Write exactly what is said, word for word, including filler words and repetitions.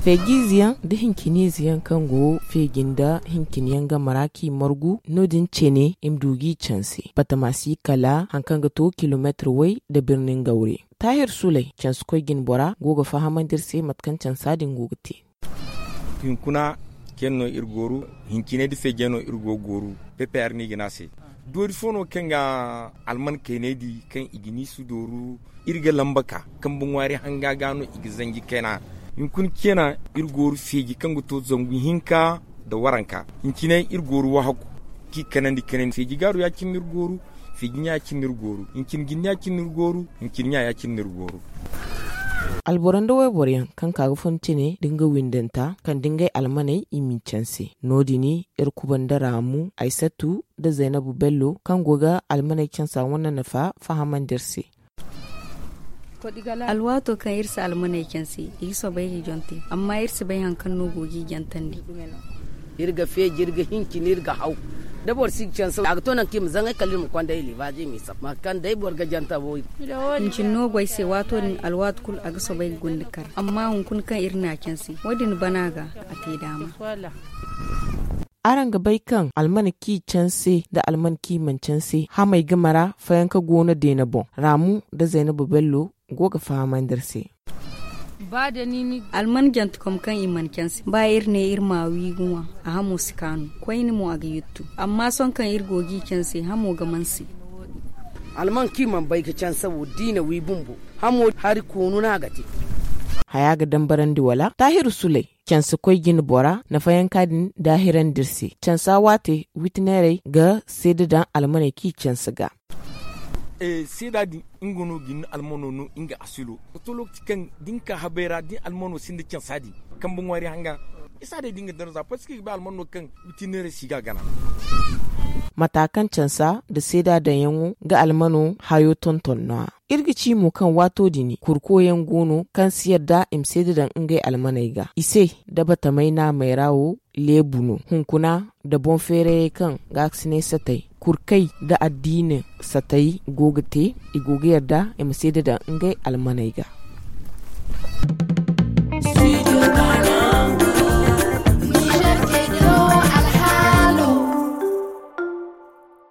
Feejiize yaŋ nda hinciniize yaŋ kaŋ go feeji nda hincini yaŋ game ra kaŋ i margu, no- din cine i ma du ga i canse batama si kala hari kaŋ ga to kilomeetir way nda birni ngawre. Taahir sulay canse koy jine bora go ga fahamandi iri se mate kaŋ cansa din go ga te. Hinkuna cene no iri gooru, hincinay nda feejey no iri go ga gooru. Pepe hari no i ga ne a se. Doori fo no kaŋ ga alman kaynay di kaŋ i ga ni si dooru. Iri ga lamba ka kambe ŋwaari hanga ga no i ga zanji kayna. Hinkuna cene iri gooru feeji kaŋ ga to zangu hinka nda waranka. Hincinay iri gooru wahakku kaŋ i kanandi kanandi feeji gaaru ya- cine no iri gooru. Feeji ɲa ya- cine no iri gooru. Hincin jinne ya- cine no iri gooru. Hincin ɲa ya- cine no iri gooru. Alboro nda wayboro yaŋ kaŋ ka ga fun cine da nga windanta kala da ngey almaney i m'i canse. No- din iri kuba nda raamu, aysatu nda zaynabu bello kaŋ go ga almaney cansa wane nafa fahamandi iri se. Alwaato kaŋ iri si almaney canse, i ga soobay ga jonte, amma iri si bay hari kaŋ no go g'i jantandi. Iri ga feeji, iri ga hincin, iri ga haw. Da boro si ga canse, a ga to nangu kaŋ i ma zaŋay kala iri ma konda i libaaji i m'i sab mate kaŋ day boro ga janta bo. Hincin no go ay se, waato din alwaati kulu a ga soobay ga gunda kar, amma hunkuna kaŋ iri n'a canse, wo- din bana ga a te daama. Araŋ ga bay kaŋ alman kaŋ i canse nda alman kaŋ i mana canse hamey game ra fayanka go no deene boŋ. Raamu nda zaynabu bello go ga fahamandi iri se. Alman jantekom kaŋ i mana canse ba iri ne iri ma wi ga ŋwa, a hamo si kaanu. Koyne mo a ga yuttu, amma sohõ kaŋ iri go g'i canse hamo ga manse. Alman kaŋ i mana bay ga canse wo da i na wi bumbo, hamo hari koonu no a ga te. Haya ga dambarandi wala taahiru sulay canse koy jine bora nafayanka din daahirandi iri se. Cansa waate witineerey ga seeda daŋ almaney kaŋ i canse ga. Seeda din nga no ga ni almano no nga asilo. Wato lokaci kaŋ da ni ka habay ra da ni almano sinda cansa din kambe ŋwaari hanga isa day da nga darza parceque i ga bay almano kaŋ witineerey si ga a gana. Mata kaŋ cansa nda seeda daŋyaŋo ga almano hayo tonton no- ya. Iri ga ci mo kaŋ waato din kurko yaŋ go no kaŋ si yadda i ma seeda daŋ ngey almaney ga i se. Da batamay naamey ra wo leebu no hunkuna nda boŋ feerayey kaŋ gaakasinay satay kurkey nda addiina satay go ga te. I go ga yadda i ma seeda daŋ ngey almaney ga.